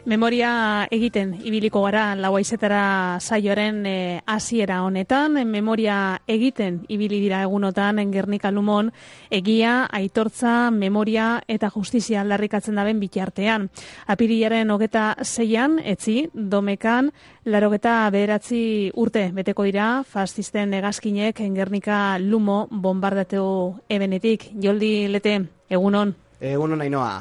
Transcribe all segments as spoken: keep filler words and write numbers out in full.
Memoria egiten ibiliko gara lauaizetara saioaren e, hasiera honetan, memoria egiten ibili dira egunotan Gernika Lumon egia, aitortza, memoria eta justizia aldarrikatzen daben bitartean. Apirilaren hogeta zeian, etzi, domekan, larogeta bederatzi urte beteko dira fascisten hegazkinek Gernika Lumo bombardatu ebenetik. Joldi Lete, egunon. Egunon Ainhoa.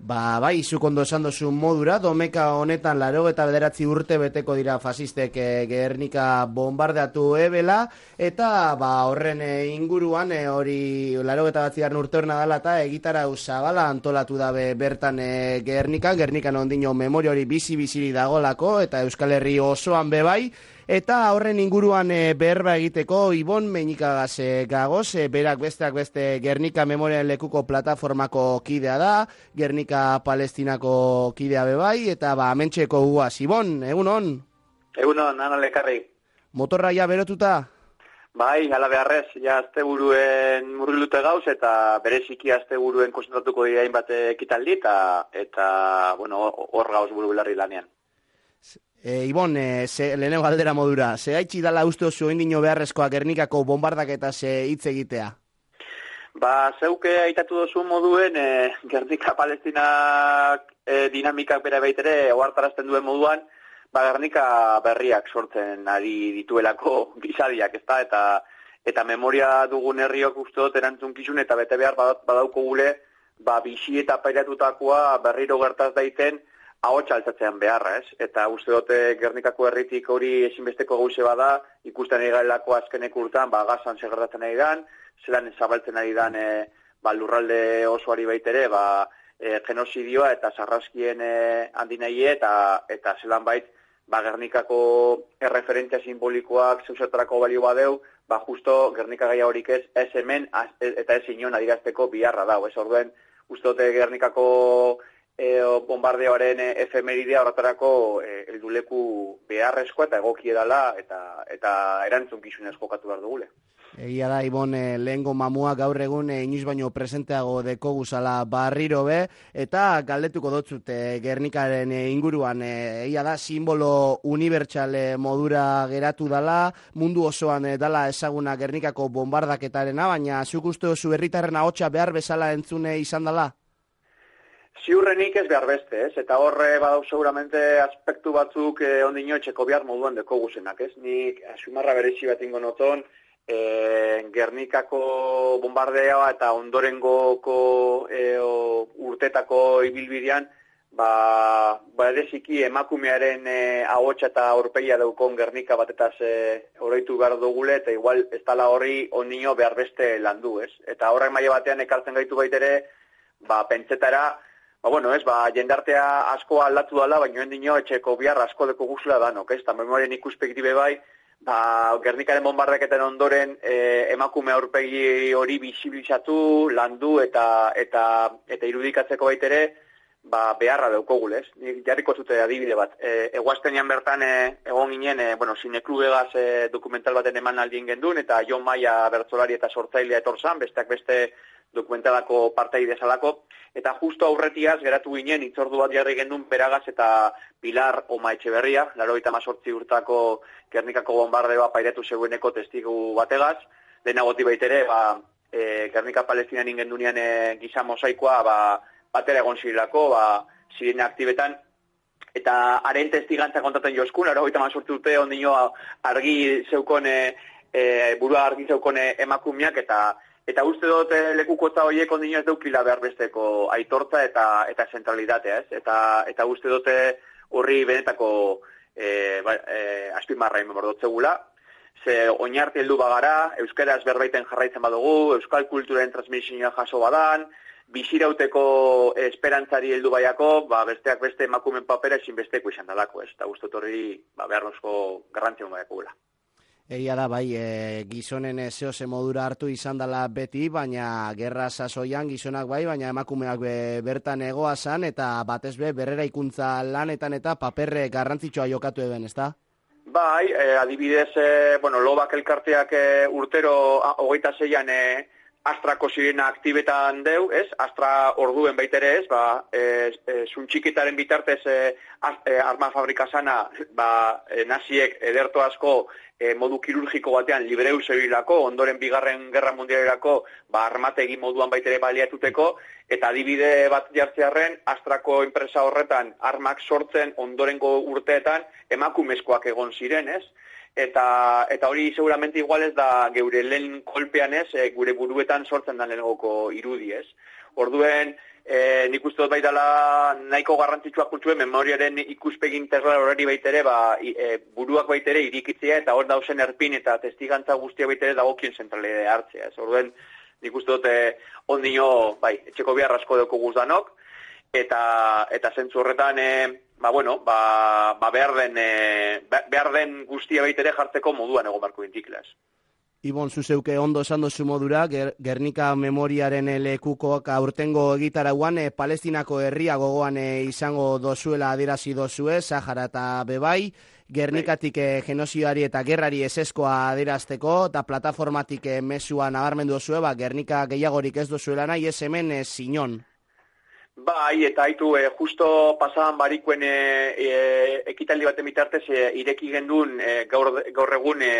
Ba, bai, zuk ondo esan dozu modura, domeka honetan larogeta bederatzi urte beteko dira fasistek e, Gernika bombardatu ebela, eta ba, horren e, inguruan e, hori larogeta batzigarren urte horna dala eta egitarau zabala antolatu dabe bertan e, Gernikan, Gernikan ondino memoria hori bizi-biziri dagolako, eta Euskal Herri osoan bebai, eta horren inguruan e, berba egiteko Ibon Meñikagaz e, gagoz, e, berak besteak beste Gernika Memorian Lekuko plataformako kidea da, Gernika Palestinako kidea bebai, eta ba, mentxeko guaz. Ibon, egunon? Egunon, ana lekarri. Motorra ja berotuta? Bai, ala beharrez, ja asteburuen murgilute gauz, eta bereziki asteburuen konzentratuko dira hainbat ekitaldi, eta, eta bueno, hor gauz buru belarri lanean. E, Ibon, e, ze, lehenengo galdera modura, ze haitxi dala uste oso indino beharrezkoa Gernikako bombardaketaz hitz egitea? Ba, zeuke aitatu dozu moduen, e, Gernika Palestinak e, dinamikak bere baitere ohartarazten duen moduan, ba, Gernika berriak sortzen ari dituelako gizadiak, ezta? Eta, eta memoria dugun herriok uste dut erantzunkizun eta bete behar badauko gule, ba, bixi eta pairatutakoa berriro gertaz daiten, ahotsa altzatzean beharra, ez? Eta uste dute Gernikako herritik hori ezinbesteko gauze bada, ikusten ari garelako azkenek urtan, ba, gazan segertatzen ari dan, zelan zabaltzen ari dan e, ba, lurralde osoari baitere, ba, e, genozidioa eta sarraskien e, handinaie, eta, eta zelan bait, ba, Gernikako erreferentzia simbolikoak zeusertarako balio badeu, ba, justo Gernika gaia horik ez, ez hemen, az, eta ez inon adirazteko biharra dau, ez? Orduen, uste dute Gernikako E, bombardeoaren e, efemeridea horretarako e, helduleku beharrezkoa eta egokie dela eta, eta erantzunkizunez jokatu behar dugule. Egia da, Ibon, e, lehengo mamua gaur egun e, inoiz baino presenteago deko guzala barriro be, eta galdetuko dotzut e, Gernikaren e, inguruan, e, egia da, simbolo unibertsale modura geratu dala, mundu osoan e, dala ezaguna Gernikako bombardaketarena, baina zuk uste oso herritarren ahotsa behar bezala entzune izan dala? Ziurrenik ez behar beste, ez? Eta horre badau seguramente aspektu batzuk eh, ondino etxeko behar moduan deko guzenak, ez? Nik asumarra berezi bat ingo noton, eh, Gernikako bombardeoa eta ondorengoko eh, urtetako ibilbidean, ba, bereziki emakumearen eh, ahotsa eta aurpegia daukon Gernika batetaz eh, oroitu behar dugule, eta igual ez tala horri ondino behar beste landu, ez? Eta horrek maila batean ekartzen gaitu baitere, ba, pentsetara, Ba, bueno, ez, ba, jendartea asko aldatu dala, baina endino etxeko bihar asko deko guzula danok, ez, eta memorien ikuspektibe bai, ba, Gernikaren bombardaketen ondoren e, emakume aurpegi hori bisibilizatu, landu eta eta eta irudikatzeko baitere, ba, beharra daukogule, ez. Nik jarriko zute adibide bat. E, eguaztenean bertan e, egon ginen, e, bueno, Sineklubegaz e, dokumental baten eman aldien gendun, eta Jon Maia bertsolari eta sortzailea etorzan, besteak beste dokumentalako partaide zalako, eta justo aurretiaz geratu ginen hitzordu bat jarri gendun Beragaz eta Pilar Oma Etxeberria, laurogeita hemezortzi urtako Gernikako bombardeoa pairatu zeueneko testigu bategaz, lehenagoti baitere, ba, e, Gernika Palestinan ingendunean e, giza mosaikoa, ba, batera egon zirilako, ba, zirena aktibetan, eta haren testigantza kontaten joskun, laurogeita hemezortzi urte ondino argi zeukon, e, e, burua argi zeukon emakumeak, eta Eta uste dut lekukotza horiek ondino ez deukila behar besteko aitortza eta eta zentralitatea, ez? Eta, eta uste dute horri benetako e, ba, e, azpimarra inbor dotzegula. Ze oinarte heldu bagara, euskaraz berbaiten jarraitzen badugu, euskal kulturen transmisioa jaso badan, bizirauteko esperantzari heldu baiako, ba, besteak beste emakumen papera ezin besteko izan dalako, ez? Eta uste dut horri ba, beharrozko garrantzia baiako gula. Egia da, bai, e, gizonen zehose modura hartu izan dela beti, baina gerra sasoian gizonak bai, baina emakumeak be, bertan egoa zan, eta batez be, berrera ikuntza lanetan eta paperre garrantzitsua jokatu eben, ezta? Bai, e, adibidez, e, bueno, lobak elkarteak e, urtero hogeita zeian e, Astrako sirena aktibetan deu, ez? Astra orduen baitere ez, ba, e, e, zuntxikitaren bitartez e, az, e, arma fabrika sana, ba, e, naziek ederto asko e, modu kirurgiko batean libreu zebilako, ondoren bigarren gerra mundialerako, ba, armategi moduan baitere baliatuteko, eta adibide bat jartzearren, Astrako enpresa horretan armak sortzen ondorengo urteetan emakumezkoak egon ziren, ez? Eta, eta hori seguramente igual ez da geure lehen kolpean ez, e, gure buruetan sortzen da lehenagoko irudi ez. Orduen, e, nik uste dut baitala nahiko garrantzitsua kultuen memoriaren ikuspegi integral horari baitere, ba, e, buruak baitere irikitzea eta hor dausen erpin eta testigantza guztia baitere dagokien zentralide hartzea. Ez. Orduen, nik uste dut e, ondino, bai, etxeko behar asko deko guzdanok, eta, eta zentzu horretan, e, ba, bueno, ba, ba behar, den, e, behar den guztia baitere jartzeko moduan egon barko intiklas. Ibon, zuzeuke ondo esan dozu modura, Ger Gernika memoriaren lekukoak aurtengo egitarauan, e, Palestinako herria gogoan e, izango dozuela adierazi dozue, Sahara eta Bebai, Gernikatik e, genozidari eta gerrari eseskoa adierazteko, eta plataformatik e, mesua nabarmendu dozue, ba, Gernika gehiagorik ez dozuela nahi, ez hemen e, Sinon. Bai, eta haitu, e, justo pasaban barikuen e, e, ekitaldi baten bitartez e, ireki gendun e, gaur, gaur egun e,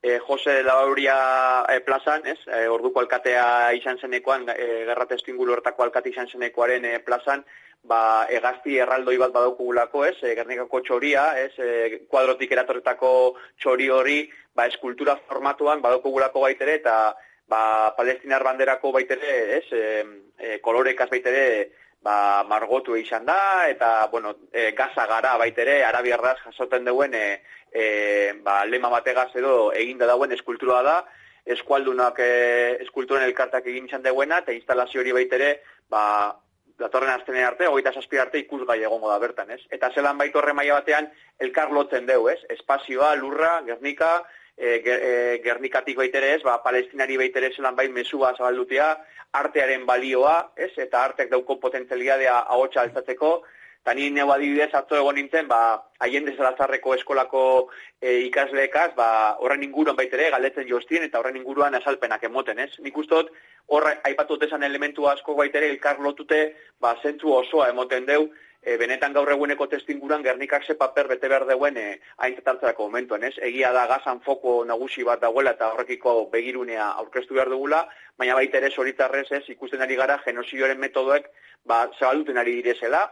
e, Jose Lauria e, plazan, ez? E, orduko alkatea izan zenekoan, e, gerra testuinguru hortako alkate izan zenekoaren e, plazan, ba, egazti erraldoi bat badaukugulako, ez? E, Gernikako txoria, ez? E, kuadrotik eratorretako txori hori, ba, eskultura formatuan badaukugulako baitere, eta ba, palestinar banderako baitere, ez? E, e, kolorekaz baitere, ba, margotu izan da, eta, bueno, e, gaza gara baitere, arabiarraz jasoten duen, e, e, ba, lema bategaz edo eginda dauen eskultura da, eskualdunak e, eskulturen elkartak egin izan duena, eta instalazio hori baitere, ba, datorren aztenen arte, hogeita zazpi arte ikusgai egongo da bertan, ez? Eta zelan baitu horre maila batean, elkar lotzen deu, ez? Espazioa, lurra, Gernika, e, ger, e, Gernikatik baitere ez, ba, palestinari baitere zelan bai mesua zabaldutea, artearen balioa, ez? Eta arteak dauko potentzialidadea ahotsa altzatzeko, eta ni neu adibidez atzo egon nintzen, ba, Allende Salazarreko eskolako e, ikasleekaz, ba, horren inguruan baitere galdetzen jostien, eta horren inguruan azalpenak emoten, ez? Nik ustot, horre aipatu desan elementu asko baitere elkar lotute, ba, zentzu osoa emoten deu, e, benetan gaur eguneko testinguran Gernikak ze paper bete behar deuen e, aintzat momentuan, ez? Egia da gazan foko nagusi bat dagoela eta horrekiko begirunea aurkeztu behar dugula, baina baita ere zoritzarrez ez ikusten ari gara genozidioaren metodoek ba, zabalduten ari direzela,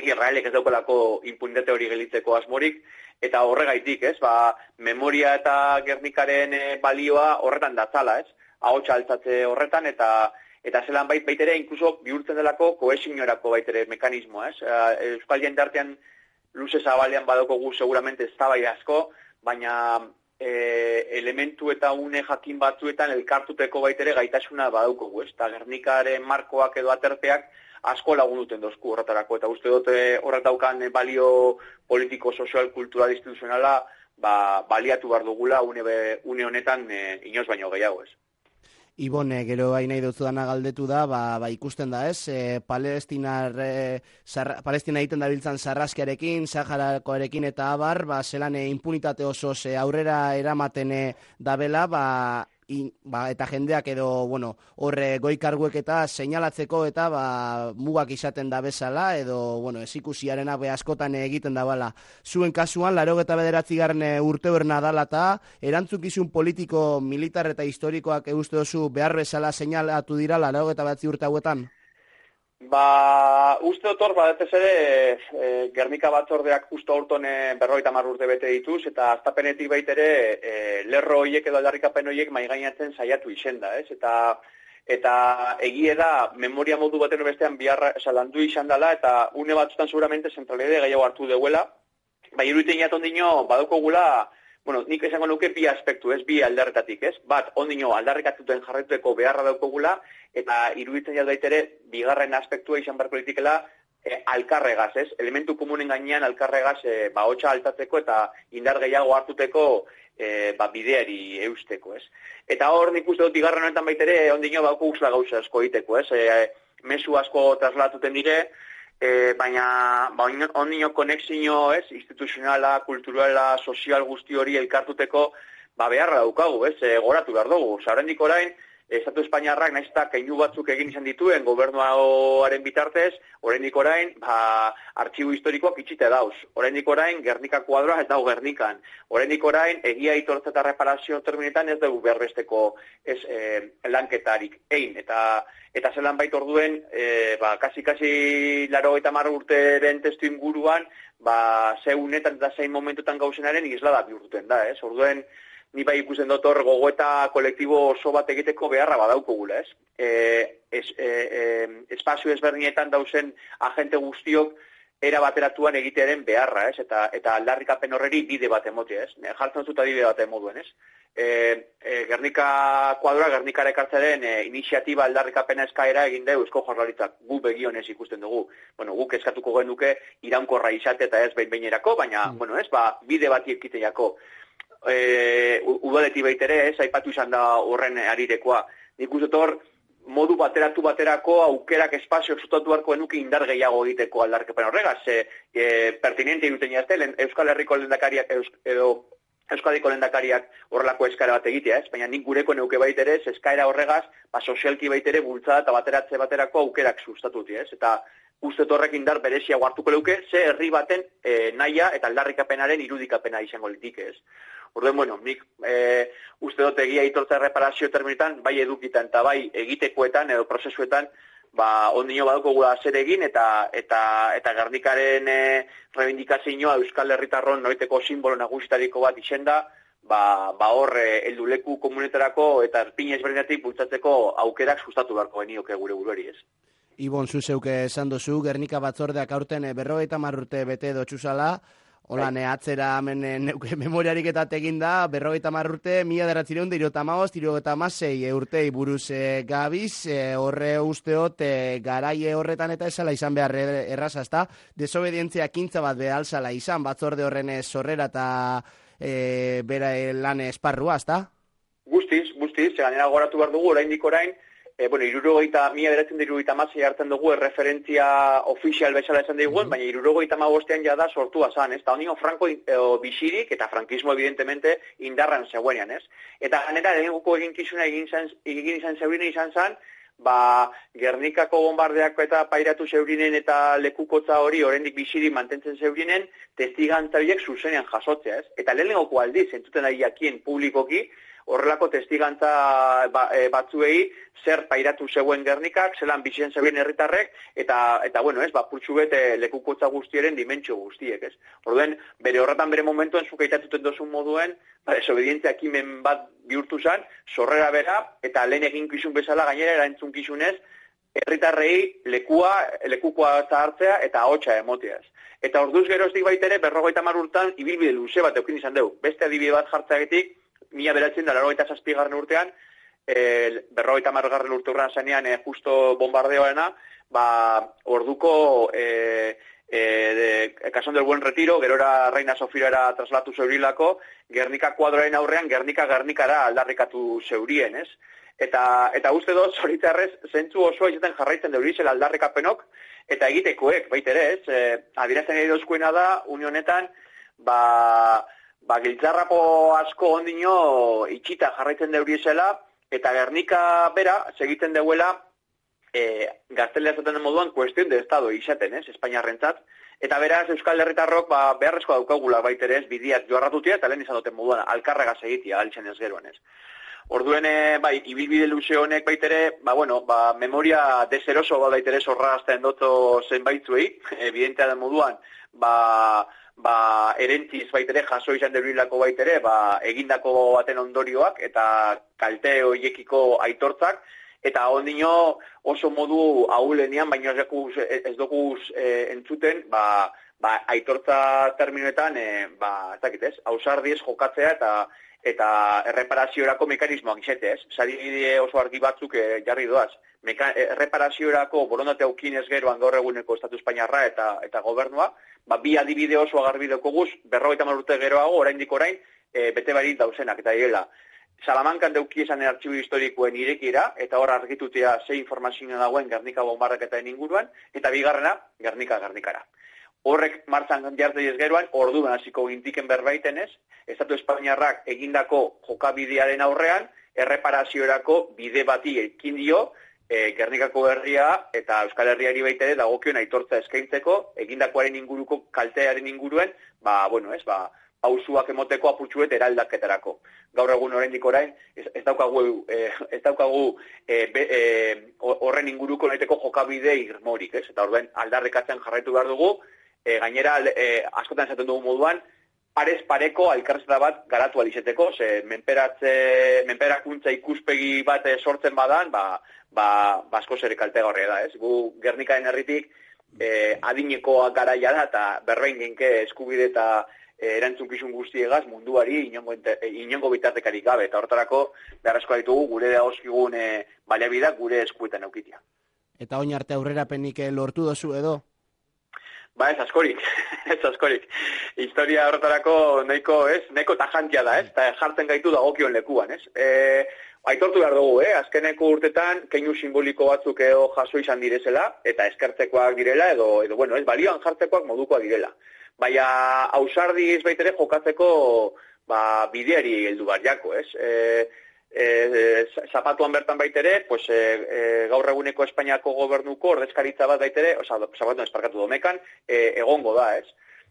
Israelek ez daukalako impunitate hori gelitzeko asmorik, eta horregaitik, ez? Ba, memoria eta Gernikaren e, balioa horretan datzala, ez? Ahotsa altzatze horretan, eta eta zelan bait baitere, inkluso bihurtzen delako kohesiorako baitere mekanismoa, ez? Euskal jendartean luze zabalean badoko gu seguramente ez tabai asko, baina e, elementu eta une jakin batzuetan elkartuteko baitere gaitasuna badauko gu, ez? Eta Gernikaren markoak edo aterpeak asko lagun duten dozku horretarako, eta uste dute horret daukan balio politiko, sozial, kultural, instituzionala, ba, baliatu behar dugula une, une honetan e, inoz baino gehiago, ez? Ibon, e, gero hain nahi dutzu dana galdetu da, ba, ba ikusten da, ez? E, Palestinar, e, zarra, Palestina egiten dabiltzan sarraskiarekin, Saharakoarekin eta abar, ba, zelan e, impunitate oso e, aurrera eramaten e, dabela, ba, in, ba, eta jendeak edo, bueno, horre goikarguek eta seinalatzeko eta ba, mugak izaten da bezala, edo, bueno, ez ikusiarena be askotan egiten da bala. Zuen kasuan, laurogeita bederatzi garren urte horna dala eta erantzukizun politiko, militar eta historikoak euste dozu behar bezala seinalatu dira laurogeita bederatzi urte hauetan? Ba, uste dut hor, badetez ere, e, Gernika batzordeak justo aurton berrogeita hamar urte bete dituz, eta aztapenetik baitere e, lerro horiek edo aldarrikapen horiek maigainatzen saiatu izenda, ez? Eta eta egie da, memoria modu baten bestean biharra landu izan dela, eta une batzutan seguramente zentralide gehiago hartu deuela, bai iruiten jaton dino, badoko gula, bueno, nik esango nuke bi aspektu, ez, bi aldarretatik, ez? Bat, ondino aldarrikatuten jarretuteko beharra daukogula, eta iruditzen jat baitere, bigarren aspektua izan beharko litikela, e, alkarregaz, ez? Elementu komunen gainean alkarregaz, e, ba, hotxa altatzeko eta indar gehiago hartuteko e, ba, bideari eusteko, ez? Eta hor, nik uste dut, bigarren honetan baitere, ondino bauko guzla gauza asko egiteko, ez? E, mesu asko traslatuten dire, E, baina ba, ondino konexio, ez, instituzionala, kulturala, sozial guzti hori elkartuteko ba, beharra daukagu, ez, e, goratu behar dugu. Zarendik orain, Estatu Espainiarrak nahiz eta keinu batzuk egin izan dituen gobernuaren bitartez, oraindik orain, ba, artxibo historikoak itxite dauz. Oraindik orain, Gernika kuadroa ez dago Gernikan. Oraindik orain, egia aitortza eta reparazio terminetan ez dugu berbesteko ez, e, lanketarik egin. Eta, eta zelan bait orduen, e, ba, kasi-kasi laro eta marra urteren testu inguruan, ba, zeunetan eta zein momentutan gauzenaren islada bihurtuten da, ez? Orduen, ni bai ikusten dut hor gogoeta kolektibo oso bat egiteko beharra badaukogula, ez? E, es, e, e, espazio ezberdinetan dauzen agente guztiok era bateratuan egitearen beharra, ez? Eta, eta aldarrikapen horreri bide bat emotea, ez? Jartzen dut adibide bat emoduen, ez? E, e, Gernika kuadroa, Gernikara ekartzaren e, iniziatiba aldarrikapena eskaera egin dugu Eusko Jaurlaritzak, gu begionez ikusten dugu. Bueno, guk eskatuko genuke iraunkorra izate eta ez behin-behinerako, baina, mm. bueno, ez, ba, bide bat ikiteiako. E, udaleti baitere, ez, aipatu izan da horren arirekoa. Nik uste hor, modu bateratu baterako aukerak espazio zutatu harko enuki indar gehiago egiteko aldarrikapen horregaz. E, e, pertinente iruten jazte, Euskal Herriko lehendakariak, Eus, edo Euskadiko lehendakariak horrelako eskaera bat egitea, ez? Baina nik gureko neuke baitere, eskaera horregaz, ba, sozialki baitere bultzada eta bateratze baterako aukerak sustatuti, ez? Eta uste horrek indar berezia hartuko leuke, ze herri baten e, naia eta aldarrikapenaren irudikapena izango litik, ez? Orduen, bueno, nik e, uste dut egia aitortza erreparazio terminetan, bai edukitan eta bai egitekoetan edo prozesuetan, ba, ondino baduko gula zer egin eta eta eta Gernikaren e, reivindikazioa Euskal Herritarron noiteko simbolo nagusitariko bat izenda, ba, ba hor e, helduleku komunetarako eta erpin ezberdinatik bultzatzeko aukerak sustatu beharko genioke gure buruari, ez? Ibon, zuzeuke esan dozu, Gernika batzordeak aurten berrogeita hamar urte bete dotxuzala, hola, ne atzera hemen neuke memoriarik eta tegin da, berrogeita hamar urte, mila deratzireun da irota maost, irota amasei urtei buruz e, gabiz, e, horre usteot, e, garaie horretan eta esala izan behar erraza, ezta? Desobedientzia kintza bat behalzala izan, batzorde horren zorrera eta e, bera lan esparrua, ezta? Guztiz, guztiz, ganera goratu behar dugu, oraindik orain, E, bueno, irurogeita, mila beratzen da irurogeita amasei hartzen dugu erreferentzia ofizial bezala esan diguen, mm-hmm. baina irurogeita amabostean jada sortua zan, ez? Eta honio Franco e, bisirik eta frankismo evidentemente indarran zegoenean, ez? Eta ganera, lehenguko eginkizuna egin, egin izan zeurinen izan zan, ba, Gernikako bombardeak eta pairatu zeurinen eta lekukotza hori oraindik bisirik mantentzen zeurinen, testigantzariek zuzenean jasotzea, ez? Eta lehenengoko aldiz, entzuten ari jakien publikoki, horrelako testigantza ba, e, batzuei zer pairatu zegoen Gernikak, zelan bizitzen zegoen herritarrek, eta, eta bueno, ez, ba, purtsu bete lekukotza guztiaren dimentsio guztiek, ez. Orduen, bere horretan bere momentuen zukaitatuten dozun moduen, ba, desobedientzia ekimen bat bihurtu zen, sorrera bera, eta lehen eginkizun bezala gainera erantzunkizunez, herritarrei lekua, lekukoa hartzea eta ahotsa emoteaz. Eta orduz geroztik baitere, berrogeita hamar urtan, ibilbide luze bat eukin izan dugu. Beste adibide bat jartzeagetik, mila beratzen da, laurogeita zazpigarren urtean, e, berrogeita hamargarren urte urran zanean, e, justo bombardeoena, ba, orduko e, e, de, Cason del Buen Retiro, gerora Reina Sofia era traslatu zeurilako, Gernika kuadroaren aurrean, Gernika Gernikara aldarrikatu zeurien, ez? Eta, eta uste dut, zoritzarrez, zentzu osoa izaten jarraitzen deurizela aldarrikapenok, eta egitekoek, baitere, ez? E, adirazten edo eskuena da, unionetan, ba, ba, giltzarrapo asko ondino itxita jarraitzen deuriezela, eta Gernika bera, segiten deuela, e, gaztelea zaten moduan, kuestion de estado izaten, ez, Espainiarrentzat, eta beraz, Euskal Herritarrok, ba, beharrezko daukagula baitere ez, bidiak joarratutia, eta lehen izan duten moduan, alkarragaz egitia, galtzen ez geroan ez. Orduen, bai, ibilbide luze honek baitere, ba, bueno, ba, memoria deseroso bat baitere zorrazten doto zenbaitzuei, evidentea den moduan, ba, ba, erentziz baitere, jaso izan deruilako baitere, ba, egindako baten ondorioak, eta kalte hoiekiko aitortzak, eta ondino oso modu ahulenian, baina ez dokuz e, entzuten, ba, ba, aitortza terminoetan, e, ba, ez dakit ez, ausardiez jokatzea, eta eta erreparaziorako mekanismoak izetez. Sadibide oso argi batzuk e, jarri doaz. Meka, erreparaziorako borondate aukinez geroan gaur eguneko Estatu Espainiarra eta eta gobernua, ba, bi adibide oso agarbi dekoguz, berrogeita hamar urte geroago, oraindik orain, e, bete barit dauzenak, eta direla. Salamankan deuki esan artxibo historikoen irekira, eta hor argitutea ze informazioa dagoen Gernika bombardaketaren inguruan, eta bigarrena, Gernika Gernikara. Horrek martzan jartzei ez geroan, orduan hasiko gintiken berbaiten ez, Estatu Espainiarrak egindako jokabidearen aurrean, erreparaziorako bide bati ekin dio, E, Gernikako herria eta Euskal Herriari baita ere dagokion aitortza eskaintzeko, egindakoaren inguruko kaltearen inguruen, ba, bueno, ez, ba, pausuak emoteko apurtxuet eraldaketarako. Gaur egun oraindik orain, ez, ez daukagu, e, ez daukagu e, be, e, horren inguruko nahiteko jokabide irmorik, ez? Eta orduen aldarrikatzen jarraitu behar dugu, e, gainera e, askotan esaten dugu moduan, parez pareko elkarrizketa bat garatu alizeteko, ze menperatze, menperakuntza ikuspegi bat sortzen badan, ba, ba, basko zer kaltegarria da, ez? Gu Gernikaren herritik eh, adinekoa garaia da, eta berbein genke eskubide eta eh, erantzunkizun guztiegaz munduari inongo, eh, inongo bitartekarik gabe, eta hortarako beharrezkoa ditugu gure dagozkigun eh, baliabideak gure eskuetan eukitia. Eta oin arte aurrerapenik lortu dozu edo? Ba, ez askorik, ez askorik. Historia horretarako nahiko, ez, nahiko tajantia da, ez, eta jartzen gaitu dagokion lekuan, ez. E, aitortu behar dugu, eh, azkeneko urtetan keinu simboliko batzuk edo jaso izan direzela, eta eskertzekoak direla, edo, edo bueno, ez, balioan jartzekoak modukoak direla. Baina, ausardiz baitere jokatzeko, ba, bideari heldu bariako, ez. E, E, zapatuan bertan baitere, pues, e, e, gaur eguneko Espainiako gobernuko ordezkaritza bat baitere, oza, zapatuan esparkatu domekan, e, egongo da, ez?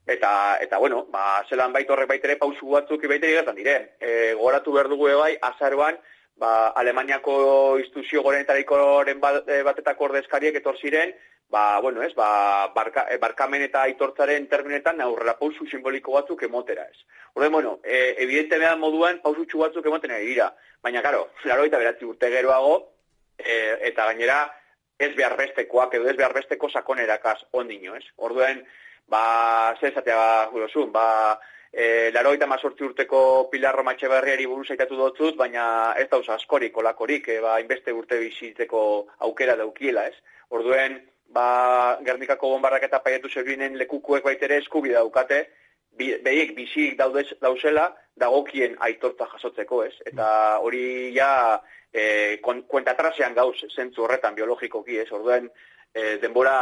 Eta, eta bueno, ba, zelan bait horrek baitere pausu batzuk baitere gertan dire. E, goratu behar dugu ebai, azaroan, ba, Alemaniako instituzio gorenetarikoren batetako ordezkariek etor ziren, ba, bueno, ez, ba, barka, barkamen eta aitortzaren terminetan aurrera pausu simboliko batzuk emotera, ez. Orde, bueno, e, evidente behan moduan pausutxu batzuk emoten ari dira. Baina, karo, laurogeita bederatzi urte geroago, e, eta gainera ez behar bestekoak, edo ez behar besteko sakonerakaz ondino, ez. Orduen, ba, ze esatea gurozun, ba, e, laurogeita mazortzi urteko Pilar Roma Etxeberriari buruz aitatu dotzut, baina ez dauz askorik, olakorik, e, ba, inbeste urte bizitzeko aukera daukiela, ez. Orduen, ba, Gernikako bonbardak eta paiatu zerbinen lekukuek baitere eskubide daukate, behiek bizik daudez, dauzela, dagokien aitortza jasotzeko, ez? Eta hori ja e, kuentatrasean gauz zentzu horretan biologikoki, ez? Orduen e, denbora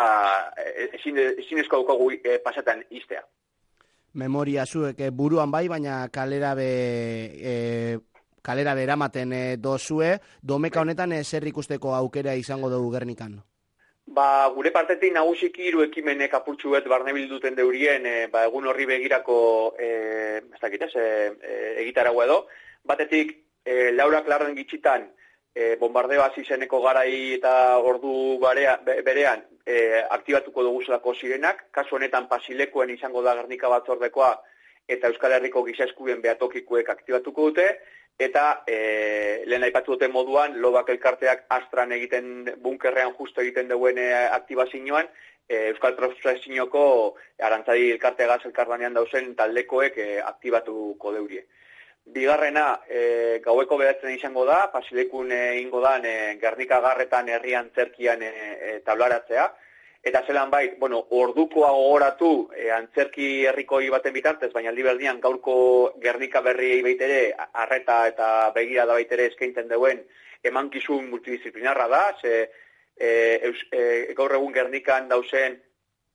e, ezin, ezin esko daukagu e, pasatan iztea. Memoria zuek e, buruan bai, baina kalera be... E... kalera beramaten e, dozue, domeka honetan e, zer ikusteko aukera izango dugu Gernikan? Ba, gure partetik nagusiki hiru ekimenek apurtxu bet barnebilduten deurien, e, ba, egun horri begirako e, ez dakit, ez, e, egitaragua edo. Batetik, e, Laura Klarren gitxitan, e, bombardeo hasi zeneko garai eta ordu barea, berean e, aktibatuko dugu zelako zirenak, kasu honetan Pasilekoen izango da Gernika batzordekoa eta Euskal Herriko giza eskubien behatokikuek aktibatuko dute, eta e, lehen aipatu duten moduan, Lobak elkarteak Astran egiten, bunkerrean justo egiten duen e, aktibazioan, e, Euskal Profesiñoko Arantzadi elkarteagaz elkarlanean dauzen taldekoek e, aktibatuko deurie. Bigarrena, e, gaueko beratzen izango da, Pasilekun egingo da e, Gernika garretan herrian zerkian e, e, tablaratzea, eta zelan bait, bueno, ordukoa gogoratu e, antzerki herrikoi baten bitartez, baina aldi berdian gaurko Gernika berriei baitere, arreta eta begira da baitere eskaintzen duen emankizun multidisciplinarra da, ze e, eus, e, gaur egun Gernikan dauzen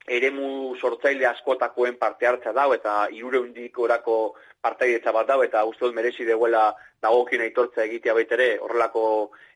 eremu sortzaile askotakoen parte hartza dau, eta hirureundik orako partaidetza bat dau, eta uste dut merezi deuela dagokien aitortza egitea baitere, horrelako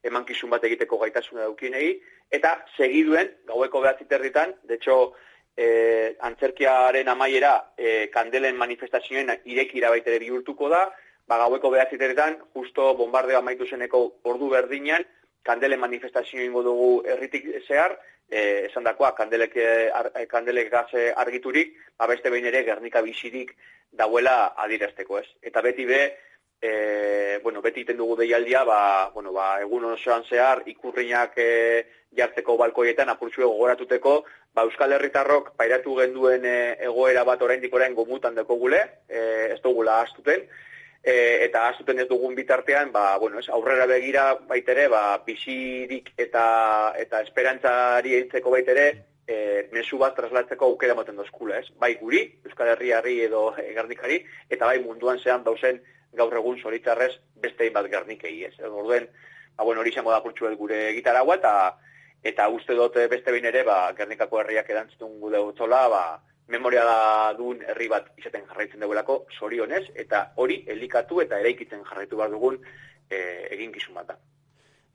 emankizun bat egiteko gaitasuna daukienei, eta segiduen, gaueko behatziterritan, de hecho, eh, antzerkiaren amaiera eh, kandelen manifestazioen irekira baitere bihurtuko da, ba, gaueko behatziterritan, justo bombardeo amaitu zeneko ordu berdinan, kandelen manifestazio ingo dugu herritik zehar, eh, esan dakoa, kandelek, ar, kandelek gaze argiturik, ba, beste behin ere Gernika bizirik dauela adirazteko, ez. Eta beti be, e, bueno, beti iten dugu deialdia, ba, bueno, ba, egun osoan zehar, ikurriak e, jartzeko balkoietan, apurtxue gogoratuteko, ba, Euskal Herritarrok pairatu genduen e, egoera bat oraindik orain gomutan deko gule, e, ez dugula astuten, e, eta astuten ez dugun bitartean, ba, bueno, ez, aurrera begira baitere, ba, bizirik eta, eta esperantzari eintzeko baitere, E, mezu bat traslatzeko aukera moten dozkula, ez? Bai guri, Euskal Herriari edo e, Gernikari, eta bai munduan zean dauzen gaur egun zoritzarrez beste bat Gernikei, ez? Orduen, ba, bueno, hori izango da purtsu gure gitaragua, eta eta uste dut beste behin ere, ba, Gernikako herriak erantzutun gude utzola, ba, memoria da duen herri bat izaten jarraitzen dugulako, zorionez, eta hori elikatu eta eraikitzen jarraitu behar dugun e, eginkizun bat da.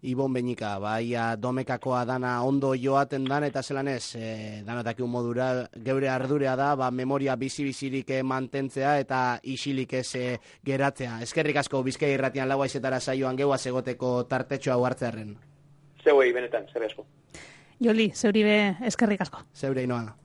Ibon Beñika, baia domekakoa dana ondo joaten dan, eta zelan ez, e, danotakiun modura, geure ardurea da, ba, memoria bizi-bizirik mantentzea eta isilik ez e, geratzea. Eskerrik asko Bizkai Irratian lau haizetara saioan geuaz egoteko tartetxo hau hartzearen. Zeuei, benetan, zer asko. Joli, zeuri be eskerrik asko. Zeure inoa.